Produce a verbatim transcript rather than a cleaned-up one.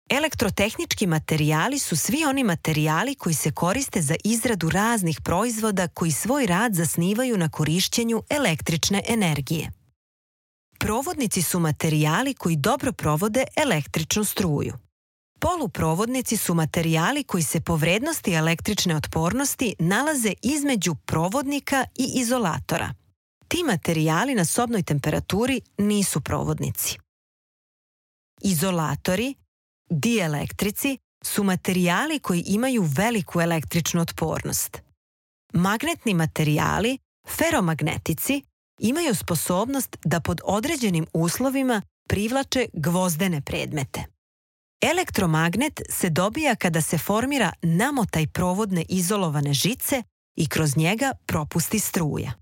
Elektrotehnički materijali su svi oni materijali koji se koriste za izradu raznih proizvoda koji svoj rad zasnivaju na korišćenju električne energije. Provodnici su materijali koji dobro provode električnu struju. Poluprovodnici su materijali koji se po vrednosti električne otpornosti nalaze između provodnika i izolatora. Ti materijali na sobnoj temperaturi nisu provodnici. Izolatori, dielektrici, su materijali koji imaju veliku električnu otpornost. Magnetni materijali, feromagnetici, imaju sposobnost da pod određenim uslovima privlače gvozdene predmete. Elektromagnet se dobija kada se formira namotaj provodne izolovane žice i kroz njega propusti struja.